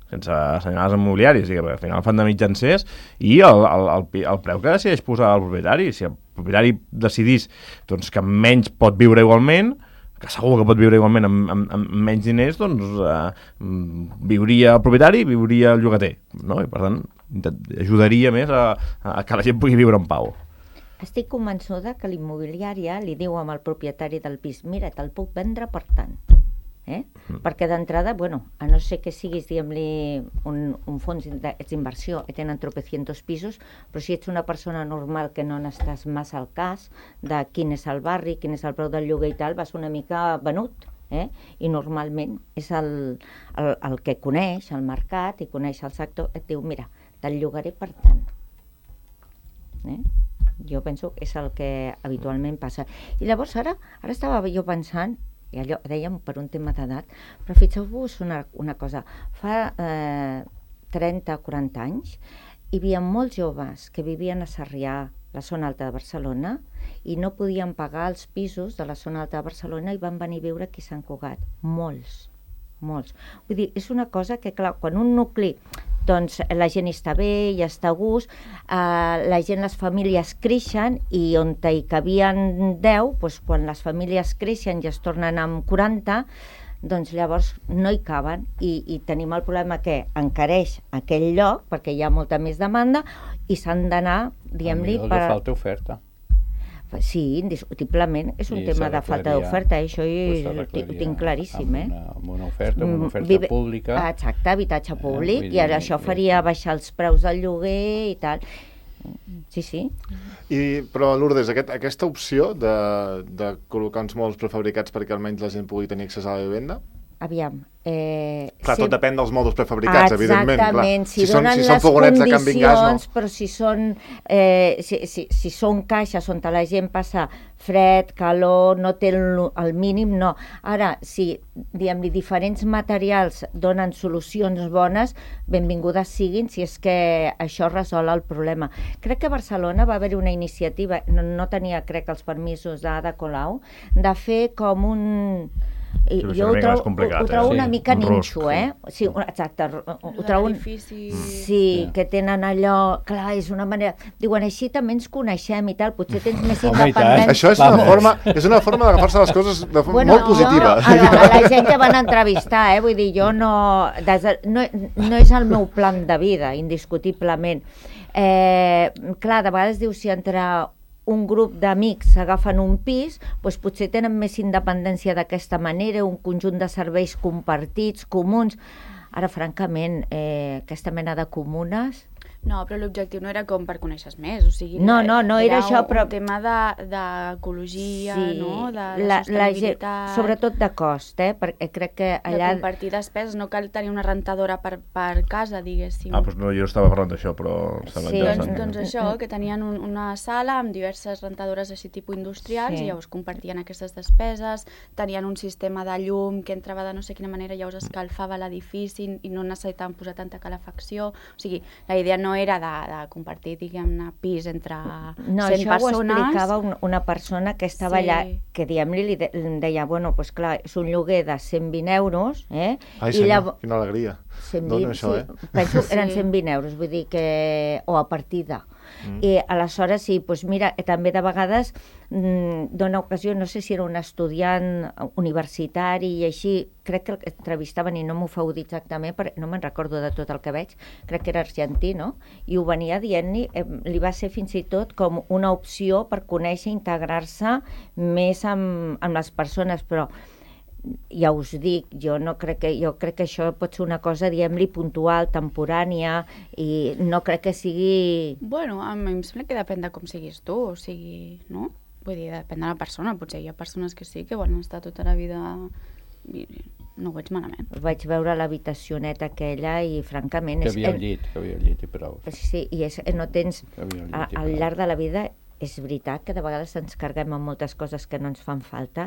Speaker 5: sense assenyalars immobiliaris, i que al final fan de mitjancers, i el, el, el, el preu que decideix posar el propietari. Si el propietari decidís doncs, que menys pot viure igualment, que segur que pot viure igualment amb, amb, amb menys diners, doncs eh, viuria el propietari i viuria el llogater, no? I per tant ajudaria més a, a que la gent pugui viure en pau.
Speaker 2: Estic convençuda que l'immobiliària li diu al propietari del pis, mira, te'l puc vendre per tant. Eh? Mm. Perquè d'entrada, bueno, a no ser que siguis, diguem-li, un, un fons d'inversió i tenen tropecientos pisos, però si ets una persona normal que no n'estàs massa al cas de quin és el barri, quin és el preu del lloguer i tal, vas una mica venut, eh? I normalment és el, el, el que coneix el mercat i coneix el sector, et diu, mira, te'l llogaré per tant. Eh? Jo penso que és el que habitualment passa. I llavors ara, ara estava jo pensant, i allò dèiem per un tema d'edat, però fixeu-vos una, una cosa, fa eh, trenta o quaranta anys hi havia molts joves que vivien a Sarrià, la zona alta de Barcelona, i no podien pagar els pisos de la zona alta de Barcelona i van venir a viure aquí a Sant Cugat. Molts, molts. Vull dir, és una cosa que, clar, quan un nucli, doncs la gent està bé, ja està a gust, eh, la gent, les famílies creixen, i on hi cabien deu, doncs quan les famílies creixen i es tornen amb quaranta, doncs llavors no hi caben, i, i tenim el problema que encareix aquell lloc, perquè hi ha molta més demanda, i s'han d'anar, diguem-li...
Speaker 3: Per... Per falta oferta.
Speaker 2: Sí, indiscutiblement, és un I tema de falta d'oferta, això ho tinc claríssim.
Speaker 3: Amb una, amb una oferta, amb una oferta Vive, pública.
Speaker 2: Exacte, habitatge públic, eh, i ara això faria baixar els preus del lloguer i tal. Sí, sí.
Speaker 1: I, però, Lourdes, aquest, aquesta opció de, de col·locar uns molts prefabricats perquè almenys la gent pugui tenir accés a la vivenda,
Speaker 2: aviam... Eh,
Speaker 1: Clar, tot
Speaker 2: sem-
Speaker 1: depèn dels mòduls prefabricats, evidentment.
Speaker 2: Exactament,
Speaker 1: Clar.
Speaker 2: si,
Speaker 1: són,
Speaker 2: donen
Speaker 1: si són
Speaker 2: les
Speaker 1: fogonets de canvi en gas,
Speaker 2: condicions,
Speaker 1: no.
Speaker 2: però si són, eh, si, si, si són caixes on la gent passa fred, calor, no té el, el mínim, no. Ara, si, diguem-li, diferents materials donen solucions bones, benvingudes siguin, si és que això resol el problema. Crec que a Barcelona va haver-hi una iniciativa, no, no tenia, crec, els permisos d'Ada Colau, de fer com un... I,
Speaker 5: Sí,
Speaker 2: jo ho
Speaker 5: una mica
Speaker 2: trobo,
Speaker 5: més complicat,
Speaker 2: ho, ho trobo
Speaker 3: eh?
Speaker 2: una
Speaker 3: Sí,
Speaker 2: mica
Speaker 5: un
Speaker 2: ninxo,
Speaker 5: rusc,
Speaker 2: eh? Sí, un- exacte, ho, ho
Speaker 6: Lo de
Speaker 2: trobo... un-
Speaker 6: l'edifici...
Speaker 2: Sí,
Speaker 3: Sí.
Speaker 2: que tenen allò... Clar, és una manera... Diuen, així també ens coneixem i tal, potser tens més
Speaker 3: Home, i tant.
Speaker 2: independència.
Speaker 1: Això és una
Speaker 3: Vamos.
Speaker 1: forma, és una forma d'agafar-se les coses de forma
Speaker 2: Bueno,
Speaker 1: molt positiva.
Speaker 2: Jo, a, la, a la gent que van entrevistar, eh? Vull dir, jo no, des de, no... No és el meu plan de vida, indiscutiblement. Eh, clar, de vegades dius, si entre un grup d'amics agafen un pis, doncs potser tenen més independència d'aquesta manera, un conjunt de serveis compartits, comuns. Ara, francament, eh, aquesta mena de comunes...
Speaker 6: No, però l'objectiu no era com per conèixer més, o sigui...
Speaker 2: No, no, no era això,
Speaker 6: un,
Speaker 2: però-
Speaker 6: un tema de- d'ecologia,
Speaker 2: Sí,
Speaker 6: no? De, de
Speaker 2: la, la gent,
Speaker 6: sostenibilitat...
Speaker 2: sobretot de cost, eh? Perquè crec que allà...
Speaker 6: De compartir despeses, no cal tenir una rentadora per, per casa, diguéssim.
Speaker 5: Ah, doncs no, jo estava parlant d'això, però em sembla
Speaker 2: Sí,
Speaker 6: Doncs,
Speaker 5: interessant.
Speaker 6: doncs això, que tenien un, una sala amb diverses rentadores així tipus industrials
Speaker 2: Sí.
Speaker 6: i llavors compartien aquestes despeses, tenien un sistema de llum que entrava de no sé quina manera, llavors escalfava l'edifici i no necessitaven posar tanta calefacció. O sigui, la idea no era de, de compartir, diguem-ne, pis entre
Speaker 2: No,
Speaker 6: cent
Speaker 2: això ho
Speaker 6: persones.
Speaker 2: explicava un, una persona que estava
Speaker 6: Sí.
Speaker 2: allà, que diguem-li, li de, li deia, bueno, doncs pues clar, és un lloguer de cent vint euros, eh?
Speaker 1: Ai,
Speaker 2: I
Speaker 1: senyor,
Speaker 2: llavors-
Speaker 1: quina alegria.
Speaker 2: cent
Speaker 1: Dona
Speaker 2: vint,
Speaker 1: això,
Speaker 2: sí,
Speaker 1: eh?
Speaker 2: penso que eren
Speaker 6: Sí.
Speaker 2: cent vint euros, vull dir que... o a partir de...
Speaker 1: Mm.
Speaker 2: I aleshores, sí, doncs mira, també de vegades mm, dona ocasió, no sé si era un estudiant universitari i així, crec que el que entrevistaven, i no m'ho feu dir exactament, perquè no me'n recordo de tot el que veig, crec que era argentí, no? I ho venia dient-li, eh, li va ser fins i tot com una opció per conèixer, integrar-se més amb, amb les persones, però ja us dic, jo no crec que jo crec que això pot ser una cosa, diguem-li, puntual, temporània, i no crec que sigui...
Speaker 6: Bueno, a mi em sembla que depèn de com siguis tu, o sigui, no? Vull dir, depèn de la persona, potser hi ha persones que sí, que volen estar tota la vida i no ho veig malament.
Speaker 2: Vaig veure l'habitacioneta aquella i, francament...
Speaker 3: Que
Speaker 2: és-
Speaker 3: havia un llit, que havia un llit i prou.
Speaker 2: Sí, i és, no tens...
Speaker 3: Que havia un
Speaker 2: A,
Speaker 3: llit i
Speaker 2: al
Speaker 3: prou.
Speaker 2: llarg de la vida és veritat que de vegades ens carguem amb moltes coses que no ens fan falta,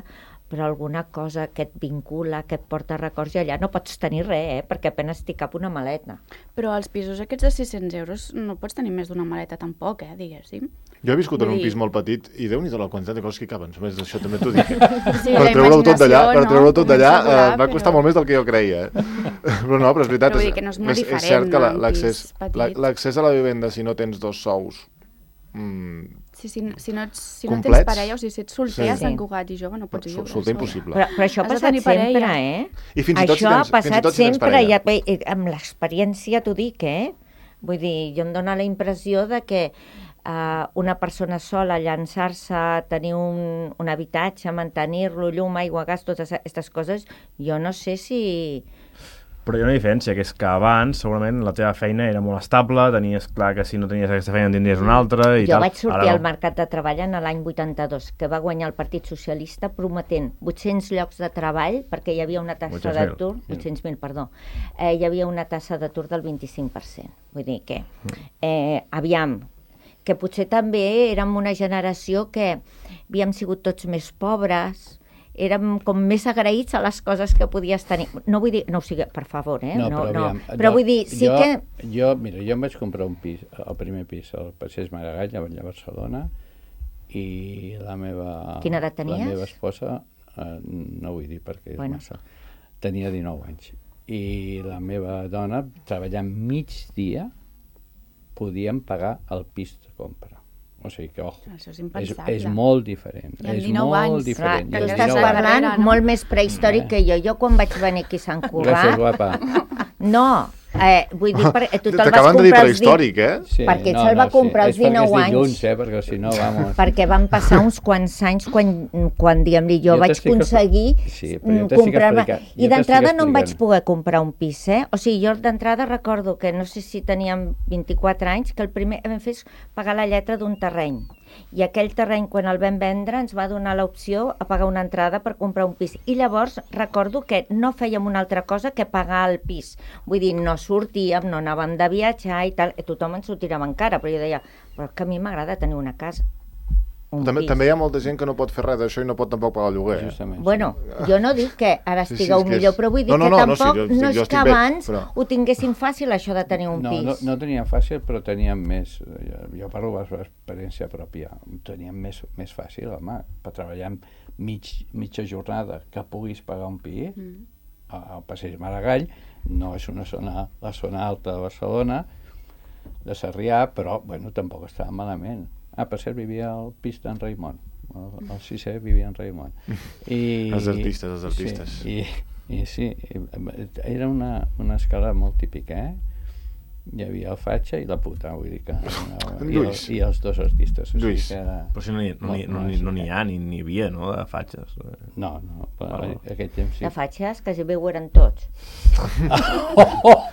Speaker 2: però alguna cosa que et vincula, que et porta records, i allà no pots tenir res, eh? Perquè apenas t'hi cap una maleta.
Speaker 6: Però als pisos aquests de sis-cents euros no pots tenir més d'una maleta tampoc, eh, diguéssim.
Speaker 1: Jo he viscut en un
Speaker 6: Vull dir-
Speaker 1: pis molt petit i déu-n'hi-do la quantitat de coses que hi caben. Només això també t'ho dic.
Speaker 6: Sí,
Speaker 1: per
Speaker 6: la
Speaker 1: treure-ho tot d'allà,
Speaker 6: imaginació,
Speaker 1: per
Speaker 6: no?
Speaker 1: treure-ho tot d'allà,
Speaker 6: Comença a volar,
Speaker 1: eh, va costar
Speaker 6: però-
Speaker 1: molt més del que jo creia. Eh? Però no, però és veritat,
Speaker 6: Però vull dir que no és molt diferent,
Speaker 1: cert que la-
Speaker 6: no, un
Speaker 1: l'accés
Speaker 6: pis petit.
Speaker 1: la- l'accés a la vivenda, si no tens dos sous, mm,
Speaker 6: Sí, si, si, no, ets, si no tens
Speaker 1: Complets?
Speaker 6: parella, o sigui, si ets solter,
Speaker 1: Sí.
Speaker 6: a Sant Cugat i jove, no pots
Speaker 1: sol-
Speaker 6: viure.
Speaker 1: solter
Speaker 6: sola.
Speaker 1: impossible.
Speaker 2: Però, però això ha
Speaker 6: Has de
Speaker 2: passat
Speaker 6: tenir
Speaker 2: sempre,
Speaker 6: parella.
Speaker 2: eh?
Speaker 1: I fins i tot si
Speaker 2: això
Speaker 1: tens-
Speaker 2: ha
Speaker 1: fins i
Speaker 2: passat
Speaker 1: tot si tens
Speaker 2: sempre,
Speaker 1: parella.
Speaker 2: i, i, amb l'experiència t'ho dic, eh? Vull dir, jo em dóna la impressió de que uh, una persona sola, llançar-se a tenir un, un habitatge, mantenir-lo, llum, aigua, gas, totes aquestes coses, jo no sé si...
Speaker 5: Però hi ha una diferència, que és que abans segurament la teva feina era molt estable, tenies clar que si no tenies aquesta feina en tindries una altra i
Speaker 2: Jo
Speaker 5: tal.
Speaker 2: vaig sortir
Speaker 5: Ara
Speaker 2: al
Speaker 5: no.
Speaker 2: mercat de treball en l'any vuitanta-dos, que va guanyar el Partit Socialista prometent vuit-cents llocs de treball, perquè hi havia una tassa
Speaker 5: vuit-cents mil.
Speaker 2: d'atur, vuit-cents mil, perdó, eh, hi havia una tassa d'atur del vint-i-cinc per cent. Vull dir que, eh, aviam, que potser també érem una generació que havíem sigut tots més pobres, érem com més agraïts a les coses que podies tenir. No vull dir, no ho sigui, per favor, eh?
Speaker 3: No, però, aviam,
Speaker 2: però vull dir, sí
Speaker 3: jo,
Speaker 2: que...
Speaker 3: Jo, mira, jo em vaig comprar un pis, el primer pis, al Passeig Maragall, allà a Barcelona, i la meva...
Speaker 2: Quina edat tenies?
Speaker 3: La meva esposa, eh, no vull dir perquè és
Speaker 2: Bueno.
Speaker 3: massa, tenia dinou anys. I la meva dona, treballant migdia, podíem pagar el pis de compra. O sigui que, ojo,
Speaker 6: Això és
Speaker 3: és,
Speaker 6: impensable.
Speaker 3: és molt diferent.
Speaker 6: I amb
Speaker 3: és
Speaker 6: dinou
Speaker 3: molt
Speaker 6: anys,
Speaker 2: Clar,
Speaker 3: diferent.
Speaker 2: tu
Speaker 3: I amb
Speaker 2: estàs
Speaker 3: dinou anys.
Speaker 2: parlant
Speaker 6: Carrera, no?
Speaker 2: molt més prehistòric que jo. Jo quan vaig venir aquí a Sant
Speaker 3: Gràcies,
Speaker 2: Cugat...
Speaker 3: guapa.
Speaker 2: No, eh, vull dir, perquè tu te'l vas
Speaker 1: T'acaben de dir
Speaker 2: comprar els
Speaker 1: prehistòric, eh?
Speaker 3: Sí,
Speaker 2: Perquè ell se'l va comprar als
Speaker 3: és perquè
Speaker 2: dinou
Speaker 3: és
Speaker 2: anys.
Speaker 3: dilluns, eh? Perquè si no, vamos...
Speaker 2: perquè van passar uns quants anys quan, quan diguem-li, jo,
Speaker 3: Jo
Speaker 2: vaig
Speaker 3: t'estic
Speaker 2: aconseguir
Speaker 3: Sí, però jo
Speaker 2: mm,
Speaker 3: t'estic
Speaker 2: comprar-me...
Speaker 3: explicant- jo
Speaker 2: I d'entrada
Speaker 3: t'estic
Speaker 2: no em vaig
Speaker 3: explicant.
Speaker 2: poder comprar un pis, eh? O sigui, jo d'entrada recordo que no sé si teníem vint-i-quatre anys, que el primer que vam fer és pagar la lletra d'un terreny. i aquell terreny, quan el vam vendre, ens va donar l'opció a pagar una entrada per comprar un pis. I llavors recordo que no fèiem una altra cosa que pagar el pis. Vull dir, no sortíem, no anàvem de viatjar i tal, i tothom ens ho tirava en cara, però jo deia, però que a mi m'agrada tenir una casa.
Speaker 1: També, també hi ha molta gent que no pot fer res d'això i no pot tampoc pagar el lloguer.
Speaker 3: Justament.
Speaker 2: Bueno, jo no dic que ara
Speaker 1: Sí, sí,
Speaker 2: estigueu
Speaker 1: és que és-
Speaker 2: millor, però vull dir
Speaker 1: No, no,
Speaker 2: que
Speaker 1: no, no,
Speaker 2: tampoc
Speaker 1: sí, jo-
Speaker 2: no
Speaker 1: jo
Speaker 2: és
Speaker 1: estic
Speaker 2: que
Speaker 1: bé,
Speaker 2: abans
Speaker 1: però-
Speaker 2: ho tinguessin fàcil, això de tenir un
Speaker 3: No,
Speaker 2: pis.
Speaker 3: no, no teníem fàcil, però teníem més, jo, jo parlo per experiència pròpia, teníem més, més fàcil, home, per treballar mig, mitja jornada que puguis pagar un pis, mm. al Passeig Maragall, no és una zona, la zona alta de Barcelona, de Sarrià, però, bueno, tampoc estava malament. Ah, per cert, vivia al pis d'en Raimon, el, el sisè vivia en Raimon. I,
Speaker 1: Els artistes, els artistes.
Speaker 3: Sí, i, i sí, era una, una escala molt típica, eh? Hi havia el Fatxa i la puta, vull dir que... I, el, i els dos artistes. O
Speaker 1: Lluís.
Speaker 3: sigui que era
Speaker 5: Però si no n'hi no, no, no, no n'hi ha, ni n'hi havia, no?, de fatxes.
Speaker 3: No, no, però oh. aquell temps sí.
Speaker 2: De fatxes, quasi bé ho eren tots.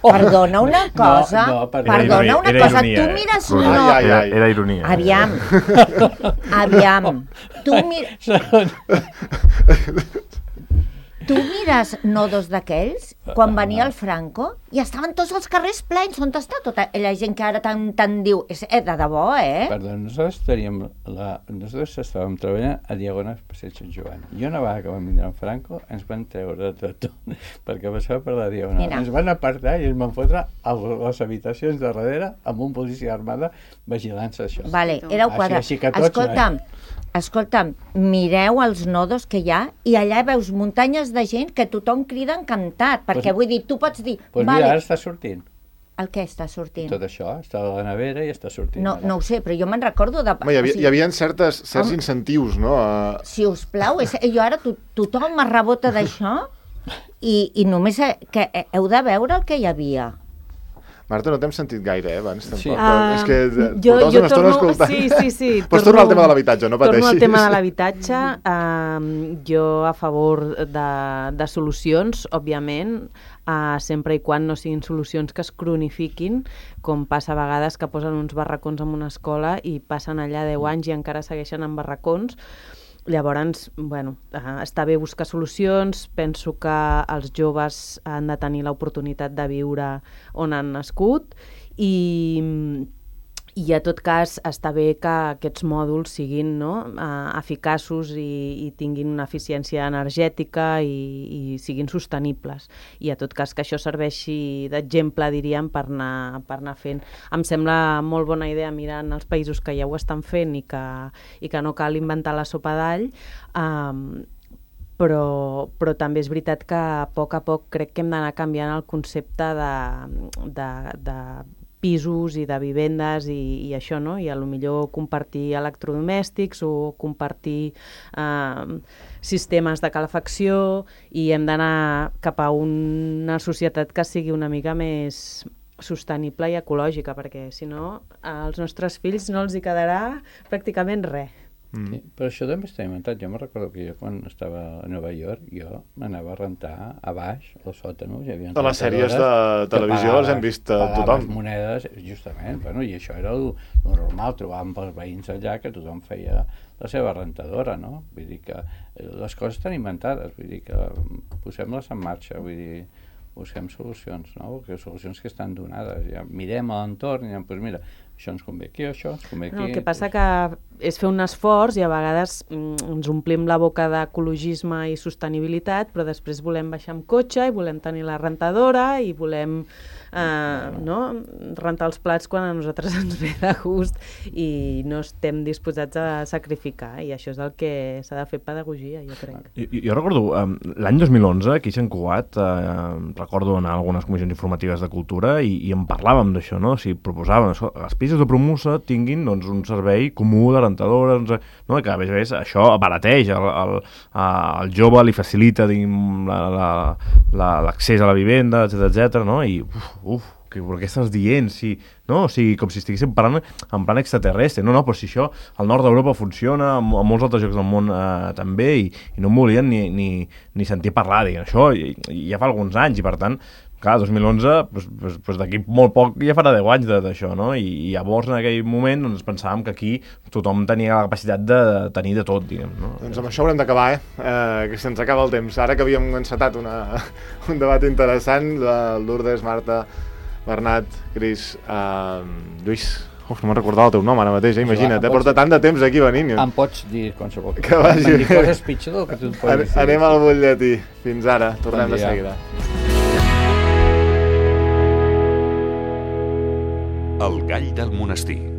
Speaker 2: Perdona una cosa,
Speaker 3: No, no, perdona.
Speaker 2: perdona
Speaker 5: Era
Speaker 2: una
Speaker 5: ironia,
Speaker 2: cosa,
Speaker 5: era
Speaker 2: tu
Speaker 5: ironia,
Speaker 2: mires...
Speaker 1: eh?
Speaker 2: No,
Speaker 1: Ai, ai,
Speaker 5: Era,
Speaker 1: ai.
Speaker 5: era ironia.
Speaker 2: aviam, aviam, tu, mi... tu mires nodos d'aquells, quan venia el Franco, i estaven tots els carrers plens, on està tota la gent que ara tant, tant diu, és eh, de debò, eh?
Speaker 3: Perdó, nosaltres teníem la... Nosaltres estàvem treballant a Diagonal Passeig Sant Joan. I una vegada que vam vindre en Franco, ens van treure de tot, perquè passava per la Diagonal.
Speaker 2: Mira.
Speaker 3: Ens van apartar i ens van fotre a les habitacions de darrere amb un policia armada vigilant-se això.
Speaker 2: Vale, éreu
Speaker 3: Així-
Speaker 2: quatre.
Speaker 3: així que tots,
Speaker 2: Escolta'm, escolta'm, mireu els nodos que hi ha i allà veus muntanyes de gent que tothom crida encantat, perquè
Speaker 3: Pues-
Speaker 2: vull dir, tu pots dir,
Speaker 3: Doncs
Speaker 2: vale,
Speaker 3: mira, ara està sortint.
Speaker 2: el què està sortint?
Speaker 3: Tot això està a la nevera i està sortint.
Speaker 2: No,
Speaker 3: ara.
Speaker 2: no ho sé, però jo me'n recordo de...
Speaker 1: Home, hi, havia,
Speaker 2: o sigui,
Speaker 1: hi havia certes, certs
Speaker 2: Home.
Speaker 1: incentius, no? A...
Speaker 2: Si us plau, és, jo ara to, tothom me rebota d'això i, i només he, que heu de veure el que hi havia.
Speaker 1: Marta, no t'hem sentit gaire, eh, abans, tampoc.
Speaker 3: Sí.
Speaker 1: Uh, és que eh,
Speaker 4: jo,
Speaker 1: portaves
Speaker 4: jo
Speaker 1: una estona
Speaker 4: torno,
Speaker 1: escoltant.
Speaker 4: sí, sí, sí.
Speaker 1: Pots tornar al tema de l'habitatge, no pateixis.
Speaker 4: Torno al tema de l'habitatge. Um, jo a favor de, de solucions, òbviament, uh, sempre i quan no siguin solucions que es cronifiquin, com passa a vegades que posen uns barracons en una escola i passen allà deu anys i encara segueixen en barracons. Llavors, bueno, uh, està bé buscar solucions, penso que els joves han de tenir l'oportunitat de viure on han nascut i, i a tot cas està bé que aquests mòduls siguin, no, uh, eficaços i, i tinguin una eficiència energètica i, i siguin sostenibles. I a tot cas que això serveixi d'exemple, diríem, per anar, per anar fent. Em sembla molt bona idea mirar en els països que ja ho estan fent i que, i que no cal inventar la sopa d'all, um, però, però també és veritat que a poc a poc crec que hem d'anar canviant el concepte de, de, de pisos i de vivendes i, i això, no? I a lo millor compartir electrodomèstics o compartir eh, sistemes de calefacció i hem d'anar cap a una societat que sigui una mica més sostenible i ecològica, perquè si no als nostres fills no els hi quedarà pràcticament res.
Speaker 1: Mm.
Speaker 3: Sí, però això també està inventat. Jo me'n recordo que jo quan estava a Nova York jo m'anava a rentar a baix, al sòtano. Hi havia
Speaker 1: A les sèries de televisió les hem vist a tothom.
Speaker 3: Monedes, justament, bueno, i això era el, el normal, trobàvem pels veïns allà que tothom feia la seva rentadora, no? Vull dir que les coses estan inventades, vull dir que posem-les en marxa, vull dir, busquem solucions, no? Que solucions que estan donades. Ja mirem a l'entorn i diem, doncs mira, això ens convé aquí, això ens convé aquí.
Speaker 4: No, el que passa que és fer un esforç i a vegades mm, ens omplim la boca d'ecologisme i sostenibilitat, però després volem baixar amb cotxe i volem tenir la rentadora i volem eh, no, rentar els plats quan a nosaltres ens ve de gust i no estem disposats a sacrificar, i això és el que s'ha de fer pedagogia, jo crec.
Speaker 5: Jo, jo recordo, um, l'any dos mil onze, aquí a Sant Cugat, uh, recordo anar a algunes comissions informatives de cultura i, i en parlàvem d'això, no? O sigui, proposàvem, això, els pisos de Promusa tinguin doncs, un servei comú de rentadora, doncs, no? Que a més a més això abarateix, el, el, el jove li facilita l'accés a la vivenda, etcètera, etcètera, no? I uf, uf, que, però què estàs dient? Si, no? O sigui, com si estiguéssim parlant en plan extraterrestre. No, no, però si això al nord d'Europa funciona, en, en molts altres llocs del món eh, també, i, i no em volien ni, ni, ni sentir parlar, diguem, això i, i ja fa alguns anys, i per tant, clar, dos mil onze, doncs, doncs, doncs d'aquí molt poc ja farà deu anys d'això, no? I, i llavors en aquell moment doncs, pensàvem que aquí tothom tenia la capacitat de tenir de tot, diguem, no?
Speaker 1: Doncs amb això haurem d'acabar, eh? eh? Que se'ns acaba el temps. Ara que havíem encetat una, un debat interessant, de Lourdes, Marta, Bernat, Cris, eh, Lluís... Uf, no me'n recordava el teu nom ara mateix, eh? Imagina't, eh? Porta tant de temps aquí venint.
Speaker 3: Em pots dir qualsevol
Speaker 1: que vagi
Speaker 3: Em dir coses pitjor del que tu et pots dir.
Speaker 1: Anem al butlletí. Fins ara, tornem
Speaker 3: Bon
Speaker 1: de seguida.
Speaker 7: El gall del monestir.